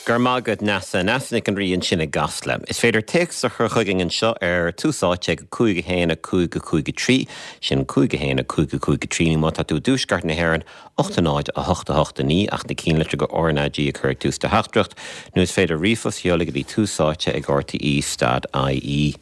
Go raibh maith agat Neasa. Neasa Nic an Rí ansin i gCasla. Is féidir téacs a chur chugainn anseo ar Tús Áite ag 5 1 5 5 3, sin 5 1 5 5 3, nó má tá tú i dtuaisceart na hÉireann, 8 0 8 8 9, ach na cinnlitreacha RnaG a chur ag tús do theachtaireacht, nó is féidir ríomhphost a sheoladh go dtí Tús Áite ag rte stad ie.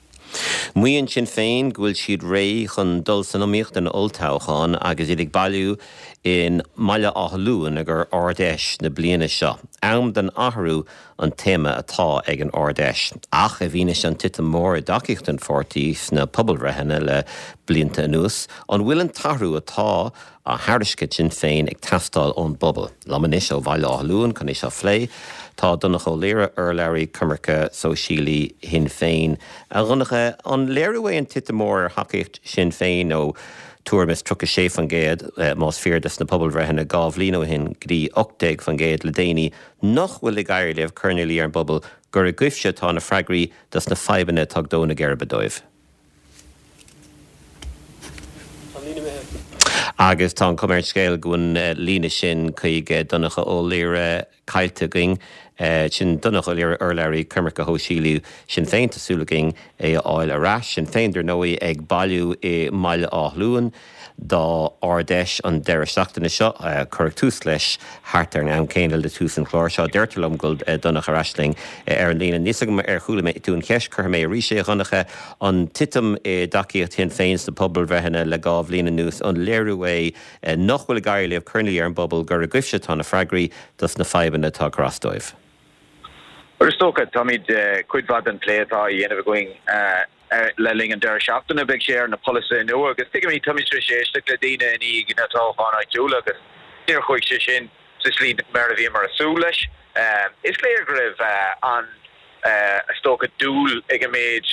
Maíonn Sinn Féin go bhfuil siad réidh chun dul san iomaíocht don olltoghchán agus iad ag bailiú i mBaile Átha Luain ag Ard-Fheis na bliana seo. Am don athrú an téama atá ag an Ard-Fheis. Ach i bhfianaise an titim mór i dtacaíocht an pháirtí sna pobalbhreitheanna le blianta anuas, an bhfuil an t-athrú atá á thairiscint ag Sinn Féin ag teastáil ón bpobal. Liom anois ó Bhaile Átha Luain chun é seo a phlé, tá Donncha Ó Laoghaire, urlabhraí coimirce sóisialaí Shinn Féin. A Dhonncha, an léiriú é an titim mór ar thacaíocht Shinn Féin ó tuairim is 36%, más fíor dos na pobalbhreitheanna 2 bhliain ó shin, go dtí 18% le déanaí, nach bhfuil ag éirí libh cur ina luí ar an bpobal gur agaibhse atá na freagraí dos na fadhbanna atá ag dó na geirbe dóibh? Agus tá an chuma ar an scéal go bhfuil an líne sin chuig Donncha Ó Laoghaire caillte againn. Sin Donncha Ó Laoghaire, urlabhraí coimirce shóisialaí Shinn Féin. Tá súil againn é a fháil ar ais. Sinn Féin, dar ndóigh, ag bailiú i mBaile Átha Luain dá Ard-Fheis an deireadh seachtaine seo. Cuireadh tús leis thart ar an am céanna le tús an chláir seo. Deirtear liom go bhfuil Donncha ar ais linn ar an líne. Níl 'fhios agam ar chuala mé tú an cheist, cuirfidh mé arís é, a Dhonncha. An titim i dtacaíocht Shinn Féin sna pobalbhreitheanna le 2 bhliain anuas, an léiriú é nach bhfuil ag éirí libh cur ina luí ar an bpobal gur agaibhse atá na freagraí dos na fadhbanna atá ag cur as dóibh? Bhuel, is dócha, táimid, cuid mhaith den plé atá á dhéanamh againn le linn an deireadh seachtaine, beidh sé ar na polasaithe nua agus tuigimid, táimid tar éis éisteacht le daoine i ndiaidh na toghcháin áitiúla agus níor chuaigh sé sin sa slí mar a bhíomar ag súil leis. Is léir go raibh an, is dócha, dúil ag an méid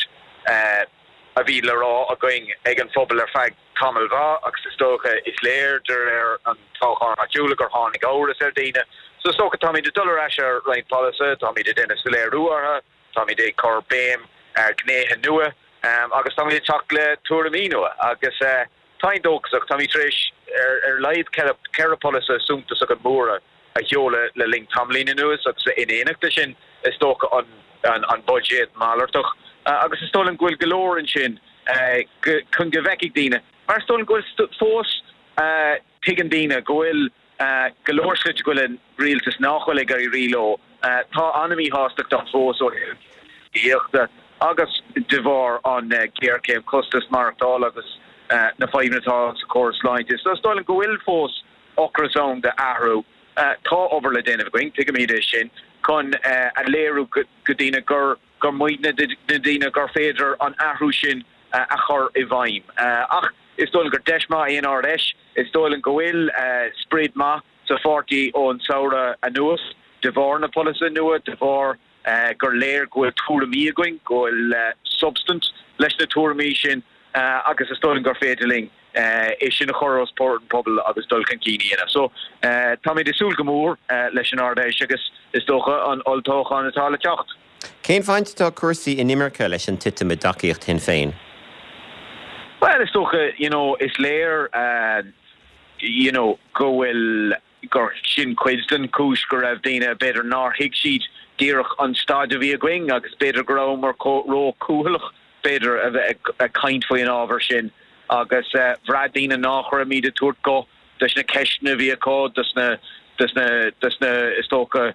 a bhí le rá againn ag an phobal ar feadh tamaill mhaith agus is dócha, is léir de réir an toghcháin áitiúla gur tháinig amhras ar dhaoine. So is dócha táimid ag dul ar ais ar roinnt polasaithe, táimid ag déanamh soiléiriú orthu, táimid ag cur béim ar ghnéithe nua agus táimid ag teacht le tuairimí nua agus táim dóchasach, táimid tar éis ar a laghad 4 polasaithe suntasacha móra a sheoladh le linn tamaillín anuas agus in éineacht leis sin is dócha an buiséad malartach agus is dóigh liom go bhfuil go leor ansin chun go bhfeicfidh daoine mar is dóigh liom go bhfuil fós tuigeann daoine go bhfuil go leor slite go bhfuil an rialtas nach bhfuil ag éirí leo. Tá an-mhíshástacht ann fós ó thaobh tithíochta agus de bharr an ghéarchéim costas maireachtála agus na fadhbanna atá sa chóras sláinte. So is dóigh liom go bhfuil fós ocras ann d'athrú. Tá obair le déanamh againn, tuigimid é sin, chun a léiriú go daoine gur gur muidne na daoine gur féidir an athrú sin a chur i bhfeidhm. Ach is dóigh liom gur deis maith é an Ard-Fheis. Is dóigh liom go bhfuil sprid maith sa pháirtí ón samhradh anuas de bharr na polasaithe nua, de bharr gur léir go bhfuil tuairimí againn, go bhfuil substaint leis na tuairimí sin agus is dóigh liom gur féidir linn é sin a chur os comhair an phobail agus dul chun cinn a dhéanamh. So, táimid ag súil go mór leis an Ard-Fheis agus is dócha an olltoghchán atá le teacht. Cén bhaint atá ag cúrsaí inimirce leis an titim i dtacaíocht Shinn Féin? Bhuel, is dócha, you know, is léir, you know, go bhfuil, gur sin cuid den chúis go raibh daoine, b'fhéidir nár thuig siad díreach an staid a bhí againn agus b'fhéidir go rabhamar ró-chúthaileach, b'fhéidir, a bheith ag caint faoi an ábhar sin agus bhraith daoine nách raibhimid ag tabhairt guth dos na ceisteanna a bhí acu, dos na, dos na, dos na, is dócha,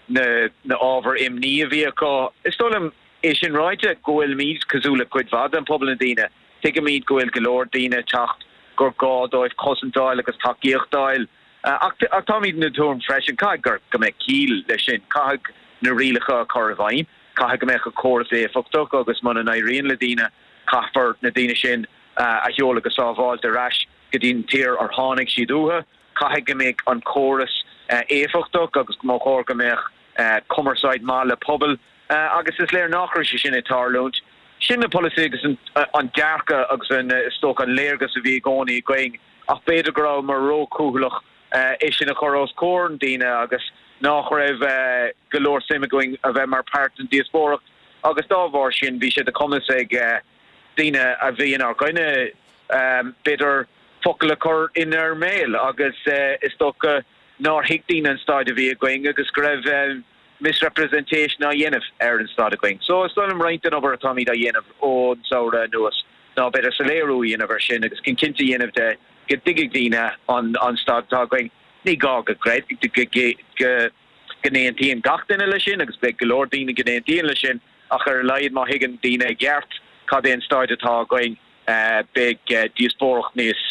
na na ábhair imní a bhí acu. Is dóigh liom, é sin ráite, go bhfuilimid cosúil le cuid mhaith den phobal na daoine, tuigimid go bhfuil go leor daoine ag teacht gur gá dóibh cosaint a fháil agus tacaíocht a fháil. Ach táimid den tuairim freisin, caithfidh gur go mbeidh ciall leis sin, caithfidh na rialacha a chur i bhfeidhm, caithfidh go mbeadh an córas éifeachtach agus muna n-éiríonn le daoine, caithfear na daoine sin a sheoladh go sábháilte ar ais go dtí an tír ar tháinig siad uathu. Caithfidh go mbeidh an córas éifeachtach agus go mba chóir go mbeadh cumarsáid maith le pobail agus is léir nach raibh sé sin ag tarlúint. Sin na polasaithe agus an dearcadh agus an, is dócha, an léargas a bhí i gcónaí againn ach b'fhéidir go rabhamar ró-chúthaileach é sin a chur os comhair na daoine agus nach raibh go leor suim againn a bheith mar páirt den díospóireacht agus dá bharr sin bhí sé de chumas ag daoine a bhí inár gcoinne b'fhéidir focal a chur inár mbéal agus is dócha nár thuig daoine an staid a bhí againn agus go raibh. misrepresentation á dhéanamh ar an staid againn. So is dóigh liom roinnt den obair atáimid á dhéanamh ón samhradh anuas ná b'fhéidir soiléiriú a dhéanamh ar sin agus chun cinnte a dhéanamh de go dtuigfidh daoine an staid atá againn. Ní gá go go n-aontaíonn gach duine leis sin agus beidh go leor daoine go n-aontaíonn leis sin ach ar a laghad má thuigeann daoine i gceart cad é an staid atá againn beidh díospóireacht níos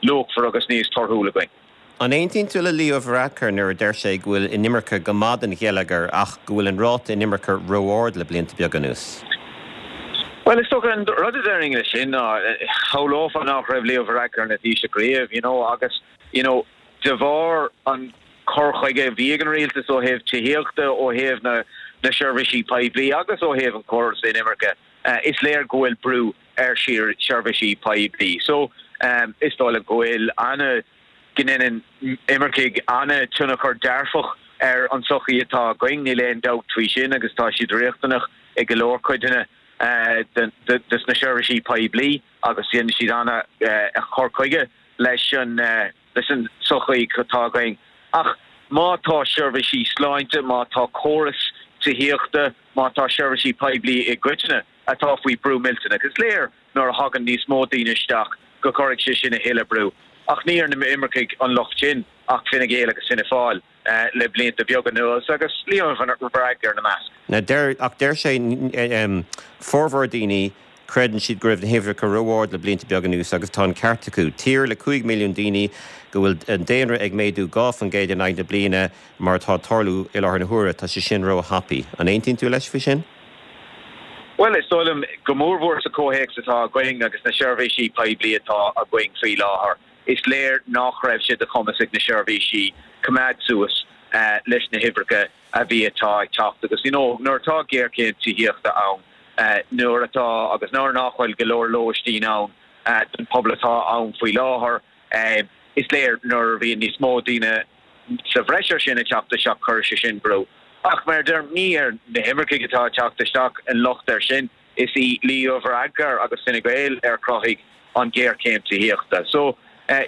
luachmhar agus níos torthúla againn. An aontaíonn tú le Leo Varadkar nuair a deir sé go bhfuil inimirce go maith don gheilleagar ach go bhfuil an ráta inimirce ró-ard le blianta beaga anuas? Bhuel, is dócha an rud a déarfainn leis sin ná, shamhlófá nach raibh Leo Varadkar ina Thaoiseach riamh, you know, agus, you know, de bharr an cur chuige a bhí ag an rialtas ó thaobh tithíochta, ó thaobh na na seirbhísí poiblí agus ó thaobh an chóras inimirce, is léir go bhfuil brú ar sheirbhísí poiblí. So, is dóigh liom go bhfuil ana, go ndéanann imircigh ana-tionchar dearfach ar an tsochaí atá againn, níl aon dabht faoi sin agus tá siad riachtanach i go leor codanna de na seirbhísí poiblí agus déanann siad ana-chur chuige leis an leis an tsochaí atá againn. Ach má tá seirbhísí sláinte, má tá córas tithíochta, má tá seirbhísí poiblí i gcoitinne atá faoi brú millteanach, is léir nuair a thagann níos mó daoine isteach go gcuirfidh sé sin a thuilleadh brú. Ach ní ar na imircigh an locht sin ach Fine Gael agus Fianna Fáil le blianta beaga anuas agus Leo Varadkar ina measc. Now deir, ach deir sé, formhór daoine, creideann siad go raibh na huimhreacha ró-ard le blianta beaga anuas agus tá an ceart acu. Tír le 5 milliún daoine go bhfuil an daonra ag méadú 2% in aghaidh na bliana mar atá ag tarlú i láthair na huaire, tá sé sin ró-thapaidh. An aontaíonn tú leis faoi sin? Bhuel, is dóigh liom, go mórmhór sa chomhthéacs atá againn agus na seirbhísí poiblí atá againn faoi láthair, is léir nach raibh sé de chumas ag na seirbhísí coimeád suas leis na huimhreacha a bhí atá ag teacht. Agus you know, nuair atá géarchéim tithíochta ann, nuair atá agus nuair nach bhfuil go leor lóistín ann don phobal atá ann faoi láthair, is léir nuair a bhíonn níos mó daoine sa bhreis ar sin ag teacht isteach, cuirfidh sé sin brú. Ach mar a deirim, ní ar na himircigh atá ag teacht isteach an locht air sin, is í Leo Varadkar agus Fine Gael ar chruthaigh an ghéarchéim tithíochta. So,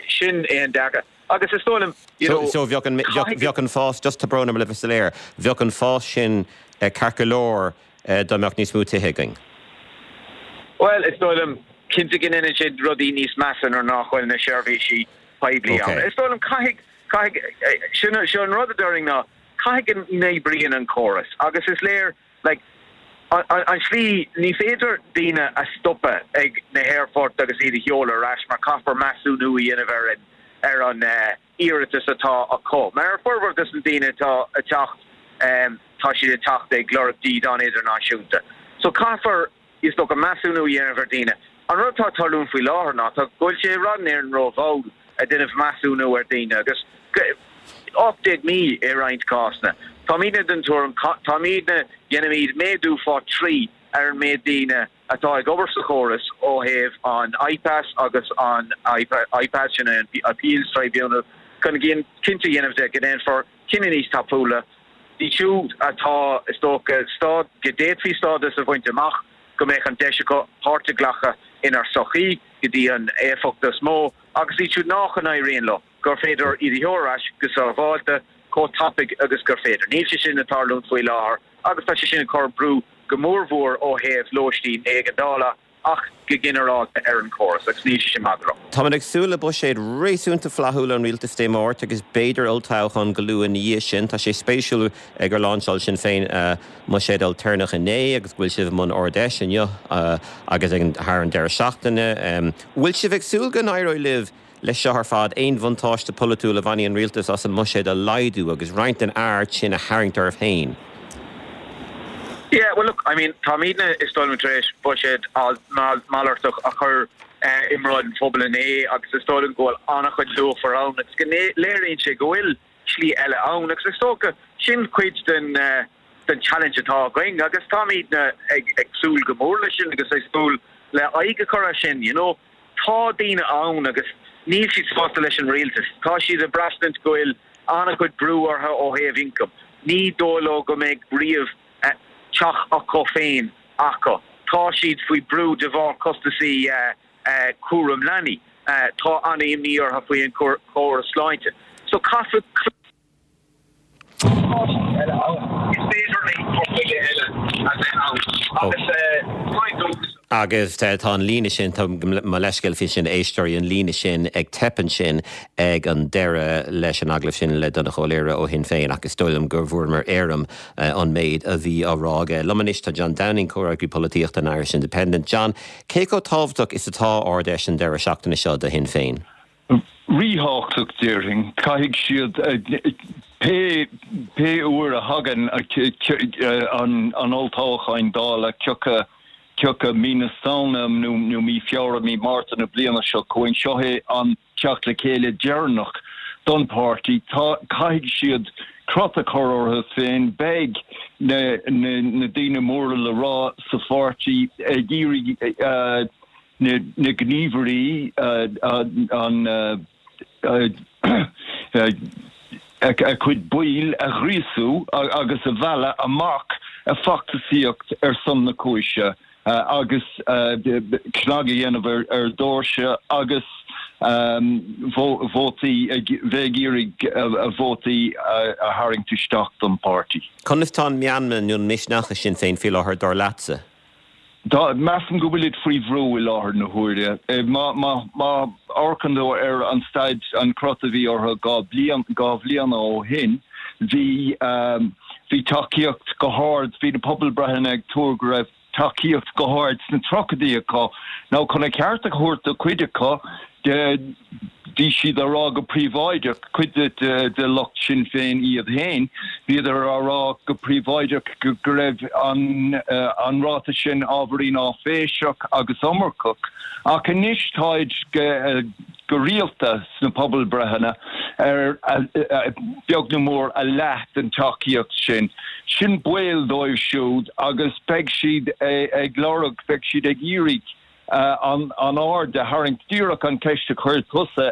sin é an dearcadh. Agus is dóigh liom, you know, So, bheadh an, bheadh an fás, just tá brón orm le bheith soiléir, bheadh an fás sin ceart go leor dá mbeadh níos mó tithe againn? Bhuel, is dóigh liom, cinnte go ndéanann sé rudaí níos measa nuair nach bhfuil na seirbhísí poiblí ann. Is dóigh liom, caithfidh, caithfidh, sin, seo an rud a déarfainn ná, caithfidh go n-oibríonn an córas agus is léir, like, an, an, an slí, ní féidir daoine a stopadh ag na haerfoirt agus iad a sheoladh ar ais mar caithfear measúnú a dhéanamh ar an, ar an eh, iarratas atá acu. Mar ar formhór dos na daoine atá ag teacht, em, tá siad ag teacht ag lorg dídean idirnáisiúnta. So caithfear, Is dócha measúnú a dhéanamh ar dhaoine. An rud atá ag tarlúint faoi láthair ná tá go bhfuil sé i bhfad Éireann ró-mhall ag déanamh measúnú ar dhaoine agus 18 mí i roinnt cásanna. Táimidne den tuairim, táimidne, dhéanfaimid méadú fá thrí ar an méid daoine atá ag obair sa chóras ó thaobh an IPAS agus an IPAS, sin é an Appeals Tribunal, chun cinnte a dhéanamh de go ndéanfar cinneadh níos tapúla. Iad siúd atá, is dócha, stá, go d'fhéadfaí stádas a bhaint amach, go mbeadh an deis acu páirt a ghlacadh inár sochaí go dtí an éifeacht is mó, agus iad siúd nách n-éiríonn leo, gur féidir iad a sheoladh ar ais go sábháilte, chomh tapaidh agus gur féidir. Níl sé sin ag tarlúint faoi láthair agus tá sé sin ag cur brú go mórmhór ó thaobh lóistín éigeandála ach go ginearálta ar an chóras agus níl sé sin maith go leor. Táimid ag súil le buiséad réasúnta flaithiúil ón rialtas Dé Máirt agus b'fhéidir olltoghchán go luath ina dhiaidh sin. Tá sé spéisiúil gur láinseáil Sinn Féin a mbuiséad ailtéarnach inné agus go bhfuil sibh i mbun Ard-Fheis inniu agus ag thar an deireadh seachtaine. Bhfuil sibh ag súil go n-éireoidh libh Leis seo ar fad, aon bhuntáiste polaitiúil a bhainfidh an rialtas as an mbuiséad a laghdú agus roinnt den aird sin a tharraingt oraibh féin? Yeah, well look, I mean, táimidne, is dóigh liom, tar éis buiséad malartach a chur i mbráid an phobail inné agus is dóigh liom go bhfuil an-chuid luachmhar ann agus go léiríonn sé go bhfuil slí eile ann agus is dócha sin cuid den den challenge atá againn agus táimidne ag ag súil go mór leis sin agus ag súil le aghaidh a chur air sin, you know. Tá daoine ann agus níl siad sásta leis an rialtas. Tá siad ag braistint go bhfuil an-chuid brú orthu ó thaobh ioncaim. Ní dóigh leo go mbeidh riamh teach acu féin acu. Tá siad faoi brú de bharr costasaí cúram leanaí. Tá an-imní orthu faoi an chóras sláinte. So caithfidh. Is féidir. Caithfidh cur chuige eile a bheith ann agus táim dóchasach. Agus tá an líne sin, tá mo leithscéal faoi sin, a éisteoirí, an líne sin ag teip ansin ag an deireadh leis an agallamh sin le Donnchadh Ó Laoghaire ó Shinn Féin ach is dóigh liom go bhfuaireamar éirim an méid a bhí á rá aige. Liom anois tá John Downing, Comhfhreagraí Polaitíochta an Irish Independent. John, cé chomh tábhachtach is atá Ard-Fheis an deireadh seachtaine seo do Shinn Féin? Ríthábhachtach, déarfainn. Caithfidh siad, pé pé uair a thagann an olltoghchán Dála, cioca cioca mí na Samhna nó nó mí Feabhra, mí Márta na bliana seo chugainn, seo é an teacht le chéile deireanach don pháirtí. Tá, caithfidh siad crot a chur orthu féin. Beidh na na na daoine móra le rá sa pháirtí ag iarraidh na gníomhairí, a cuid baill a ghríosú agus a mhealladh amach ag feachtasaíocht ar son na cúise agus cnag a dhéanamh ar dhoirse agus vótaí, bheith ag iarraidh vótaí a tharraingt isteach don pháirtí. Conas tá an meanma nó an misneach i Sinn Féin faoi láthair, dar leatsa? Tá, measaim go bhfuilid faoi bhrú i láthair na huaire. Má amharcann tú ar an staid, an crot a bhí orthu 2 bliain, 2 bhliana ó shin, bhí, bhí tacaíocht go hard, bhí na pobalbreitheanna ag tuar go raibh tacaíocht go hard sna tríochaidí acu. Now chun a cheart a thabhairt do chuid acu, Bhí siad á rá go príobháideach, cuid de lucht Sinn Féin iad féin, bhíodar á rá go príobháideach go raibh an ráta sin ábhairín áiféiseach agus iomarcach. Ach anois táid go rialta sna pobalbreitheanna ar beag nó mór a leath den tacaíocht sin. Sin baol dóibh siúd agus beidh siad ag lorg, beidh siad ag iarraidh an aird a tharraingt. Díreach an cheist a chuir tusa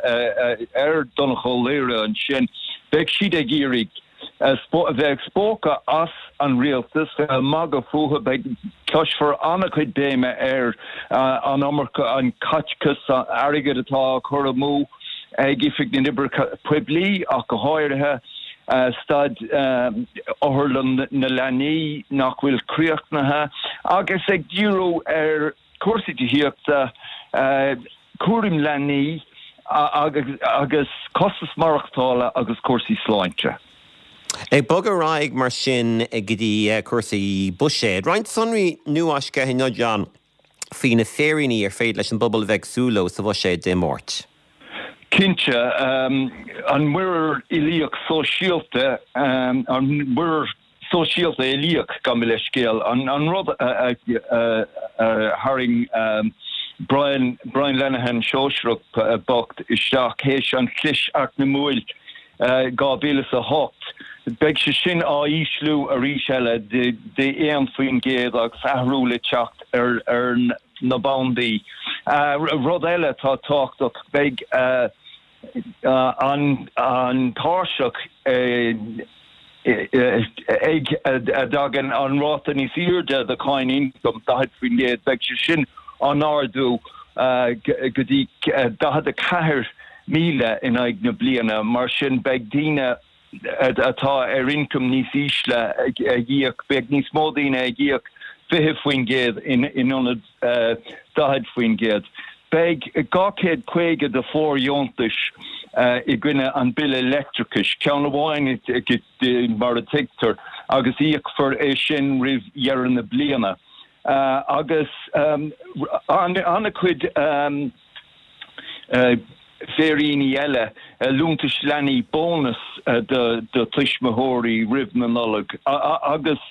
ar Donnchadh Ó Laoghaire ansin, beidh siad ag iarraidh a bheith ag spochadh as an rialtas, bheith ag magadh fúthu, beidh, cloisfear an-chuid béime ar an iomarca, an caiteachas airgid atá á chur amú ag Oifig na nOibreacha Poiblí ach go háirithe, staid Otharlann na Leanaí nach bhfuil críochnaithe agus ag díriú ar chúrsaí tithíochta, cúram leanaí agus costas maireachtála agus cúrsaí sláinte. Ag bogadh ar aghaidh mar sin go dtí cúrsaí buiséid, roinnt sonraí nuafhoilsithe inniu, John, faoi na féiríní ar féidir leis an bpobal a bheith ag súil leo sa bhuiséad Dé Máirt. Cinnte, an muirear uilíoch sóisialta, an muirear sóisialta uilíoch, gabh mo leithscéal, an rud a tharraing Brian, Brian Lenihan sóisearach bocht isteach théis an chlis eacnamúil 2008, beidh sé sin á ísliú arís eile de 1% agus athrú le teacht ar na bandaí. Rud eile atá tábhachtach, beidh an tairseach ag a dtagann an ráta níos airde de cháin ioncaim, 40%, beidh sé sin á n-ardú go dtí 44,000 in aghaidh na bliana. Mar sin, beidh daoine atá ar ioncam níos ísle ag íoc, beidh níos mó daoine ag íoc 20% in ionad 40%. Beidh 250 de fóirdheontais i gcoinne an bille leictreachais, ceann amháin mar a tuigtear, agus íocfar é sin roimh dheireadh na bliana. Agus an-chuid féiríní eile, liúntais leanaí, bónas do tuismitheoirí roimh na Nollag agus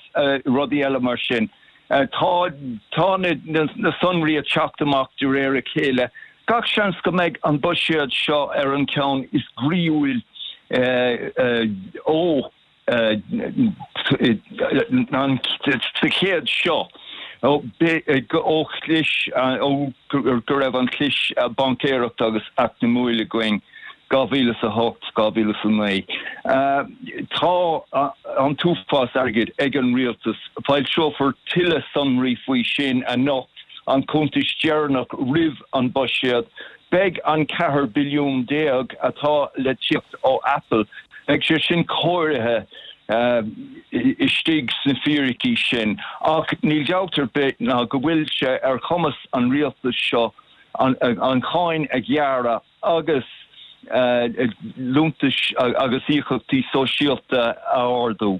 rudaí eile mar sin. Tá tá na sonraí ag teacht amach de réir a chéile. Gach seans go mbeidh an buiséad seo ar an cheann is groíúil ó an sa chéad seo ó chlis ó go raibh an chlis baincéireachta agus eacnamúil againn 2008, 2009. Tá an t-uafás airgid ag an rialtas. Foilseofar tuilleadh sonraí faoi sin anocht, an cuntas deireanach roimh an buiséad. Beidh an 14 billiún atá le tíocht ó Apple, beidh sé sin cóirithe. istigh sna fíricí sin ach níl dabht ar bith ná go bhfuil sé ar chumas an rialtais seo an cháin a ghearradh agus liúntais agus íocaíochtaí sóisialta a ardú.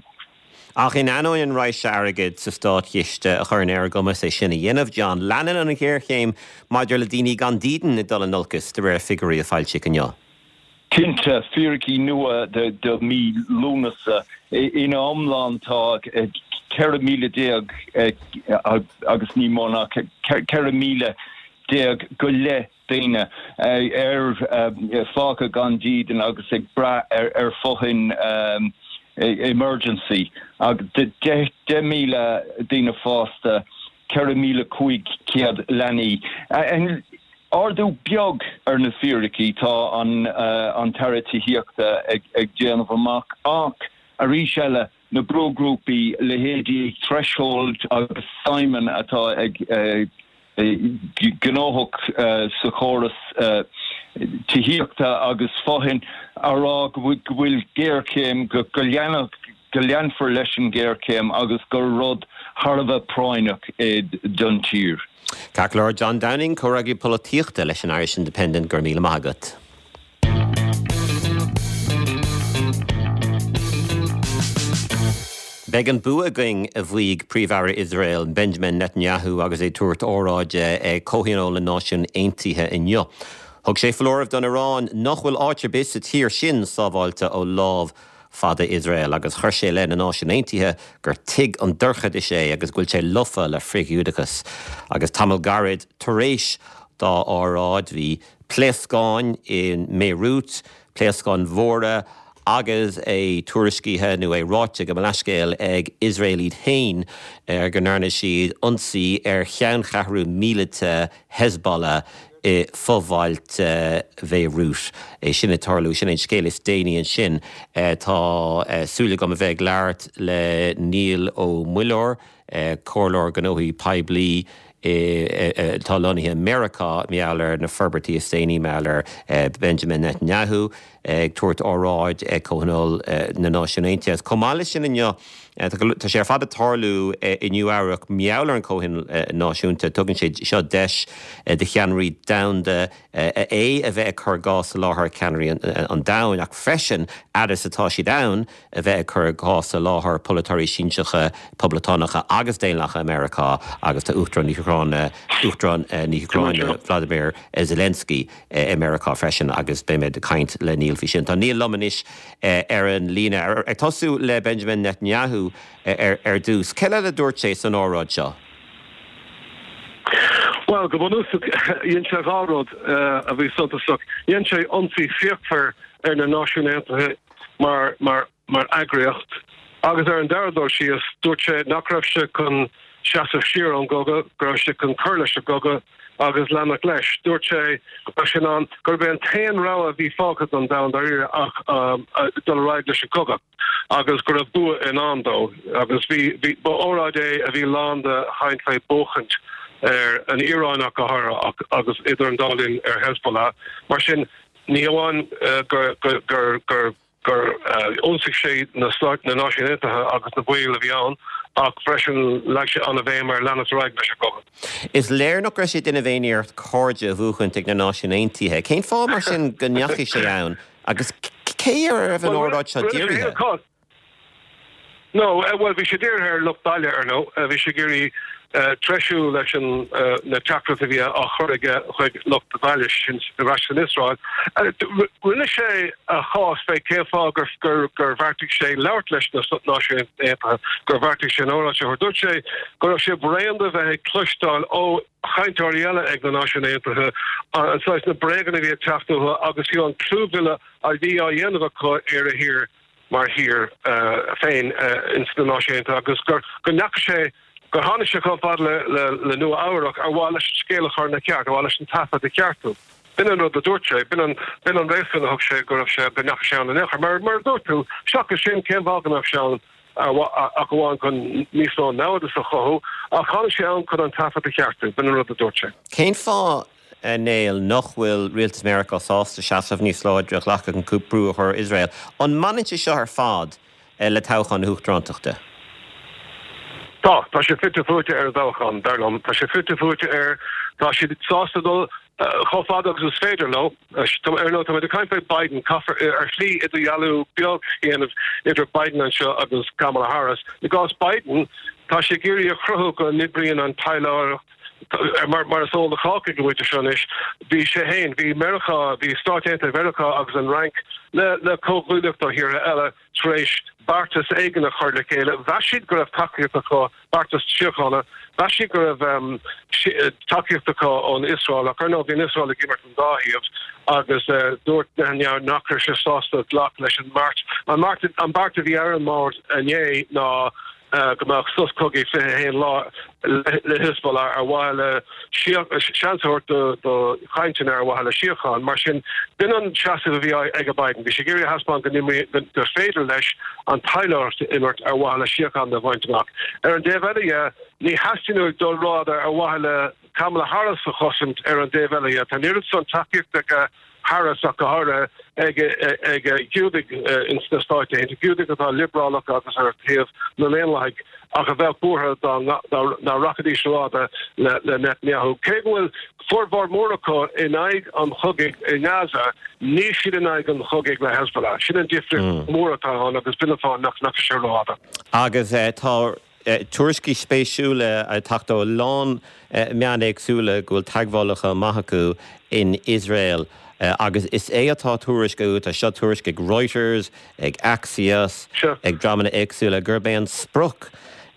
Ach in ainneoin an raidhse airgid sa státchiste a chuireann ar a gcumas é sin a dhéanamh, John, leanann an ghéarchéim maidir le daoine gan dídean ag dul in olcas, de réir figiúirí a foilsíodh inniu. Cinnte, fíricí nua do mí Lúnasa. Ina iomlán tá 14,000 agus ní mó ná 14,000 go leith daoine ar fágtha gan dídean agus ag brath ar fothoinn emergency. 10,000 daoine fásta, 4,500 leanaí. Ardú beag ar na fíricí tá an tAire Tithíochta ag déanamh amach ach arís eile na brúghrúpaí, leithéidí Threshold agus Simon atá ag gnóthach sa chóras tithíochta agus fothoinn á rá go bhfuil géarchéim, go leanfar leis an ghéarchéim agus gur rud thar a bheith práinneach é don tír. Ceart go leor, John Downing, Comhfhreagraí Polaitíochta leis an Irish Independent, go raibh míle maith agat. Beidh an bua againn, a mhaígh Príomh-Aire Iosrael, Benjamin Netanyahu agus é ag tabhairt óráide ag Comhthionól na Náisiún Aontaithe inniu. Thug sé foláireamh don Iaráin nach bhfuil áit ar bith sa tír sin sábháilte ó lámh fada Iosrael agus chuir sé i leith na Náisiún Aontaithe gur tigh an dorchadais é agus go bhfuil sé lofa le frith-Ghiúdachas. Agus tamall gairid tar éis dá óráid bhí pléascáin i mBéiriút, pléascáin mhóra agus é tuairiscithe, nó é ráite gabh mo leithscéal, ag Iosrael iad féin go ndearna siad ionsaí ar cheanncheathrú míleata Hezbollah i bhfo-bhailte Bhéiriút. É sin ag tarlú, sin é an scéal is déanaí ansin. Tá súil agam a bheith ag labhairt le Niall Ó Muilleoir, Comhairleoir Gnóthaí Poiblí atá lonnaithe i Meiriceá, mar gheall ar na forbairtí is déanaí mar gheall ar Benjamin Netanyahu ag tabhairt óráid ag Comhthionól na Náisiún Aontaithe. Agus chomh maith leis sin inniu, tá sé ar fad ag tarlú i Nua Eabhrac mar gheall ar an Chomhthionól Náisiúnta. Tugann sé seo deis do cheannairí domhanda é a bheith ag cur a gcás i láthair ceannairí an domhain ach freisin, fhad is atá siad ann, a bheith ag cur a gcás i láthair polaiteoirí sinseacha Poblachtánacha agus Daonlathacha i Meiriceá agus tá Uachtarán na hÚcráine, Uachtarán na hÚcráine Vladimir Zelensky i Meiriceá freisin agus beidh mé ag caint le Niall faoi sin. Tá Niall liom anois ar an líne. Ag tosú le Benjamin Netanyahu ar dtús, céard eile a dúirt sé san óráid seo? Bhuel, go bunúsach, dhein sé dhá rud a bhí suntasach. Dhein sé ionsaí fíochmhar ar na Náisiúin Aontaithe mar mar mar eagraíocht agus ar an dara dul síos, dúirt sé nach raibh sé chun seasamh siar ón gcogadh, go raibh sé chun cur leis an gcogadh agus leanacht leis. Dúirt sé go raibh sé in ann, gurb é an t-aon rogha a bhí fágtha don domhan dáiríre ach dul ar aghaidh leis an gcogadh agus go raibh bua i ndán dó. Agus bhí, bhí, ba óráid é a bhí lán de chaint fé buachaint ar an Iaráin ach go háirithe ach agus idir an dá linn ar Hezbollah. Mar sin, Ní hamháin gur ionsaigh sé na Stáit, na Náisiúin Aontaithe agus na baill a bhí ann, ach freisin leag sé an-bhéim ar leanacht ar aghaidh leis an gcogadh. Is léir nach raibh sé ag déanamh aon iarracht cairde a bhuachaint ag na Náisiúin Aontaithe. Cén fáth mar sin go ndeachaigh sé ann agus cé ar a raibh an óráid seo dírithe? No, bhuel, bhí sé dírithe ar lucht baile, ar ndóigh. Bhí sé ag iarraidh treisiú leis an na teachtaireacht a bhí á chur aige chuig lucht baile, sin ar ais san Iosrael. Rinne sé a chás fé cén fáth gur gur gur bheartaigh sé labhairt leis na Náisiúin Aontaithe, gur bheartaigh sé an óráid seo a thabhairt. Dúirt sé go raibh sé bréan de bheith ag cloisteáil ó chainteoirí eile ag na Náisiúin Aontaithe an saghas na bréaganna a bhí ag teacht uathu agus fiú an clúmhilleadh a bhí á dhéanamh acu ar a thír. mar thír féin ins na Náisiúin Aontaithe agus gur go ndeachaigh sé, gur tháinig sé chomh fada le le le Nua Eabhrac ar mhaith leis an scéal a chur ina cheart, ar mhaith leis an taifead a cheartú. B'in an rud a dúirt sé, b'in an b'in an réasún a thug sé go raibh sé, go ndeachaigh sé ann in aon chor. Mar mar a dúirt tú, seachas sin, cén fáth go mbeadh sé ann ach amháin chun níos mó namhadais a chothú, ach tháinig sé ann chun an taifead a cheartú, b'in an rud a dúirt sé. Cén fáth a Néill, nach bhfuil rialtas Meiriceá sásta seasamh níos láidre a ghlacadh chun brú a chur ar Iosrael. An mbaineann sé seo ar fad? le toghchán na hUachtarántachta? Tá. Tá sé fite fuaite ar an dtoghchán, dar liom. Tá sé fite fuaite air. Tá siad sásta dul chomh fada agus is féidir leo. Ar ndóigh, táimid ag caint faoi Biden. Caithfear ar shlí idirdhealú beag a dhéanamh idir Biden anseo agus Kamala Harris. I gcás Biden, tá sé ag iarraidh a chruthú go n-oibríonn an taidhleoireacht mar is eol do chách ag an bpointe seo anois, bhí sé féin, bhí Meiriceá, bhí Stáit Aontaithe Mheiriceá agus an Fhrainc le le comhghuaillíocht ó thíortha eile tar éis beartas éigin a chur le chéile. Mheas siad go raibh tacaíocht acu, beartas síochána, mheas siad go raibh tacaíocht acu ón Iosrael ach ar ndóigh bhí an Iosrael ag imirt an dá thaobh agus dúirt Netanyahu nach raibh sé sásta glacadh leis an mbeart. An beart a bhí ar an mbord inné ná go mbeadh sos cogaidh 21 lá le Hezbollah ar mhaithe le seans a thabhairt do chainteanna ar mhaithe le síocháin. Mar sin, b'in an seasamh a bhí ag Biden. Bhí sé ag iarraidh a thaispeáint go n-imríonn, gur féidir leis an taidhleoireacht a imirt ar mhaithe le síocháin a bhaint amach. Ar an dtaobh eile dhe, ní theastaíonn uaidh dul rófhada ar mhaithe le Kamala Harris a chosaint ar an dtaobh eile dhe. Tá an oiread san tacaíochta aige Harris ach go háirithe ag Giúdaigh ins na Stáit Aontaithe, Giúdaigh atá liobrálach agus ar thaobh na nDaonlathaigh ach a bheadh buartha dá rachaidís rófhada le Netanyahu. Cé go bhfuil formhór mór acu in aghaidh an chogaidh i nGaza, níl siad in aghaidh an chogaidh le Hezbollah. Sin an difríocht mhór atá ann agus b'in an fáth nach ndeachaigh sé rófhada. Agus tá tuairiscí spéisiúla ag teacht ó a lán meán éagsúla go bhfuil teagmhálacha maith acu in Iosrael agus is é atá á tuairisciú, tá seo tuairisc ag Reuters, ag Axios, ag dreamanna éagsúla, gurb é an sprioc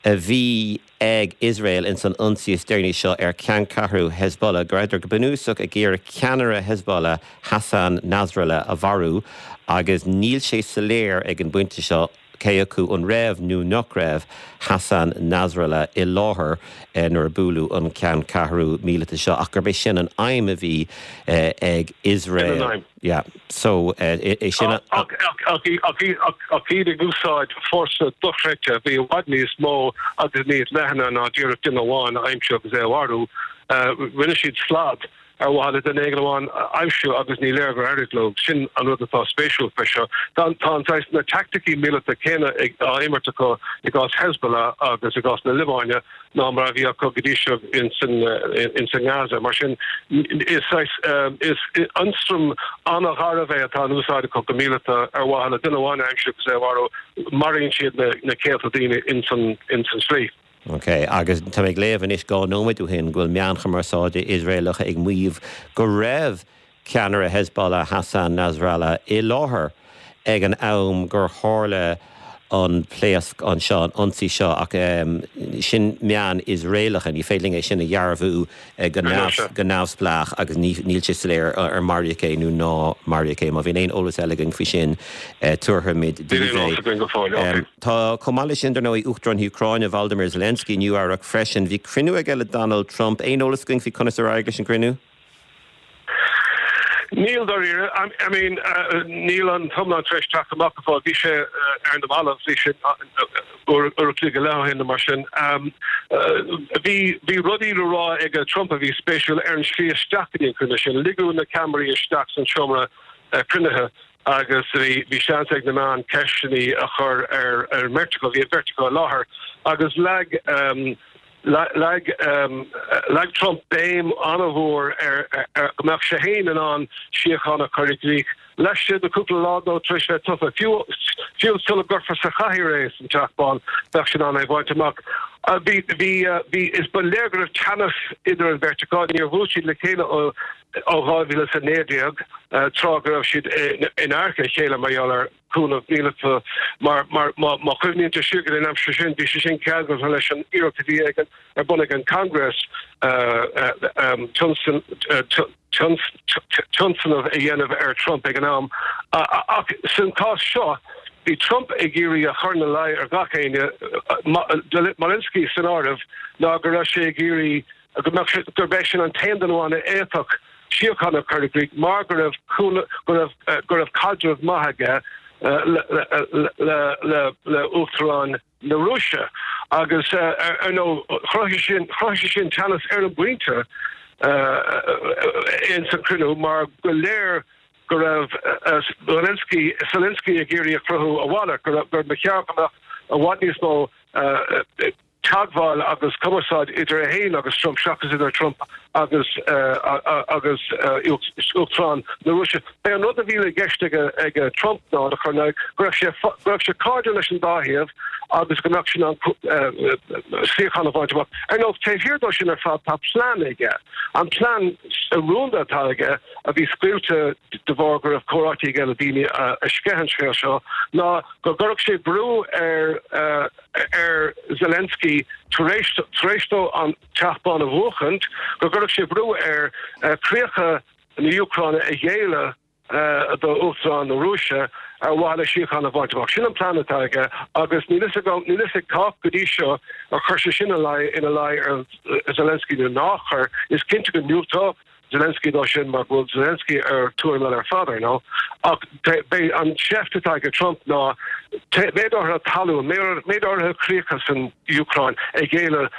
a bhí ag Iosrael ins an ionsaí is deireanaí seo ar cheanncheathrú Hezbollah, go rabhadar go bunúsach ag iarraidh ceannaire Hezbollah, Hassan Nasrallah, a mharú agus níl sé soiléir ag an bpointe seo cé acu an raibh nó nach raibh Hassan Nasrallah i láthair nuair a buaileadh an ceanncheathrú míleata seo, ach gurb é sin an aidhm a bhí ag Iosrael. Yeah. So, é sin a. Ach iad ag úsáid fórsa dochreidte a bhí i bhfad níos mó agus níos leithne ná díreach duine amháin a aimsiú agus é a mharú, rinne siad slad. ar mhaithe le duine éigin amháin a aimsiú agus ní léir gur éirigh leo. Sin an rud atá spéisiúil faoi seo. Tá an saghas, na teaicticí míleata céanna á imirt acu i gcás Hezbollah agus i gcás na Liobáine ná mar a bhí acu go dtí seo ins an nGaza. Mar sin, is saghas, is ionstraim an-gharbh é atá in úsáid acu go míleata ar mhaithe le duine amháin a aimsiú agus é a mharú. Maraíonn siad na céadta daoine ins an slí. Ok, agus tá mé ag léamh anois 2 nóiméad ó shin go bhfuil meáin chumarsáide Iosraelacha ag maíomh go raibh ceannaire Hezbollah Hassan Nasrallah i láthair ag an am gur tharla an pléasc anseo, an ionsaí seo, ach sin meáin Iosraelacha, ní féidir linn é sin a dhearbhú go neamhspleách agus níl sé soiléir ar maraíodh é nó ná maraíodh é. Má bhíonn aon eolas eile againn faoi sin, tabharfaimid daoibh é. Tá, chomh maith leis sin, dar ndóigh, Uachtarán na hÚcráine, Volodymyr Zelensky, i Nua-Eabhrac freisin. Bhí cruinniú aige le Donald Trump. Aon eolas againn faoi conas ar éirigh leis an gcruinniú? Níl, dáiríre. I mean, níl an t-iomlán tar éis teacht amach go fóill. Bhí sé ar na mallaibh, bhí sé uair a chloig go leith ó shin nó mar sin. Bhí, bhí rudaí le rá ag Trump a bhí spéisiúil ar an slí isteach go dtí an cruinniú sin. Ligeadh na ceamaraí isteach san seomra cruinnithe agus bhí, bhí seans ag na meáin ceisteanna a chur ar, ar an mbeirt acu, bhí an bheirt acu i láthair agus leag, Leag leag Trump béim an-mhór ar go mbeadh sé féin in ann síocháin a chur i gcrích laistigh de chúpla lá dó tar éis bheith tofa. Fiú fiú sula gcuirfear sa chathaoir é san Teach Bán, bheadh sé in ann é a bhaint amach. Bhí bhí bhí is ba léir go raibh teannas idir an bheirt acu. Níor bhuail siad le chéile ó ó 2019, tráth go raibh siad in adharca a chéile mar gheall ar cúnamh míleata mar má chuimhníonn tú siar go dtí an aimsir sin, bhí sé sin ceangailte leis an iarracht a bhí ag an ar bun ag an Congress tionscnamh a dhéanamh ar Trump ag an am. Ach san cás seo, bhí Trump ag iarraidh a chur ina luí ar gach éinne, Zelensky san áireamh, ná go raibh sé ag iarraidh go mbeadh sé, gurb eisean an t-aon duine amháin a fhéadfadh síocháin a chur i gcrích mar go raibh go raibh go raibh caidreamh maith aige le le le le Uachtarán na Rúise agus ar ndóigh chruthaigh sin chruthaigh sé sin teannas ar an bpointe ins an cruinniú mar go léir. go raibh Zelensky Zelensky ag iarraidh a chruthú a mhalairt, go raibh gur ba cheart go mbeadh i bhfad níos mó teagmháil agus cumarsáid idir é féin agus Trump seachas idir Trump agus agus Uachtarán na Rúise. B'é an rud a bhí i gceist ag ag Trump ná a chur in aghaidh go raibh sé go raibh sé cairdiúil leis an dá thaobh agus go mbeadh sé in ann síocháin a bhaint amach. Ar ndóigh, taobh thiar dó sin ar fad tá plean aige. An plean rúnda atá aige a bhí scaoilte de bharr go raibh comhráití aige le daoine a sceith an scéal seo ná go gcuirfeadh sé brú ar ar Zelensky tar éis tar éis dó an Teach Bán a bhuachaint, go gcuirfeadh sé brú air críocha na hÚcráine a ghéilleadh do Uachtarán na Rúise ar mhaithe le síocháin a bhaint amach. Sin an plean atá aige agus níl fhios agam, níl fhios ag cách go dtí seo ar chuir sé sin ina luí ar Zelensky nó nár chuir. Is cinnte go ndiúltódh Zelensky dó sin mar go bhfuil Zelensky ar tuairim eile ar fad, ar ndóigh. Ach b'é an tseift atá ag Trump ná méid áirithe talún, méid áirithe críocha san Úcráin a ghéilleadh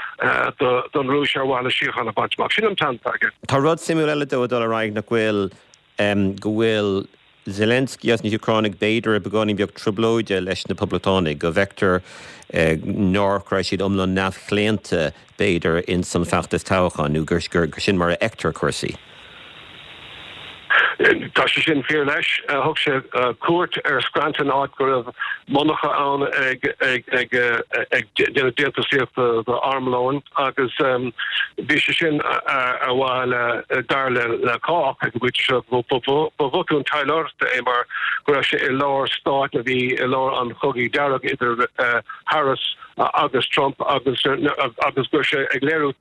don Rúis ar mhaithe le síocháin a bhaint amach. Sin an plean atá aige. Tá rud suimiúil eile dó ag dul ar aghaidh nach bhfuil, go bhfuil Zelensky agus na hÚcránaigh b'fhéidir i beagáinín beag trioblóide leis na Poblachtánaigh, go bhfeictear nár raibh siad iomlán neamhchlaonta b'fhéidir ins an feachtas toghcháin nó gur sin mar a fheictear cúrsaí. Tá sé sin fíor leis. Thug sé cuairt ar Scranton, áit go raibh monarcha ann ag déanamh déantúsaíochta d'armlóin agus bhí sé sin ar mhaithe le, dar le cách ag an bpointe seo, ba bhotún taidhleoireachta é mar go raibh sé i lár stáit a bhí i lár an chogaidh dearg idir Harris agus Trump agus agus go raibh sé ag léiriú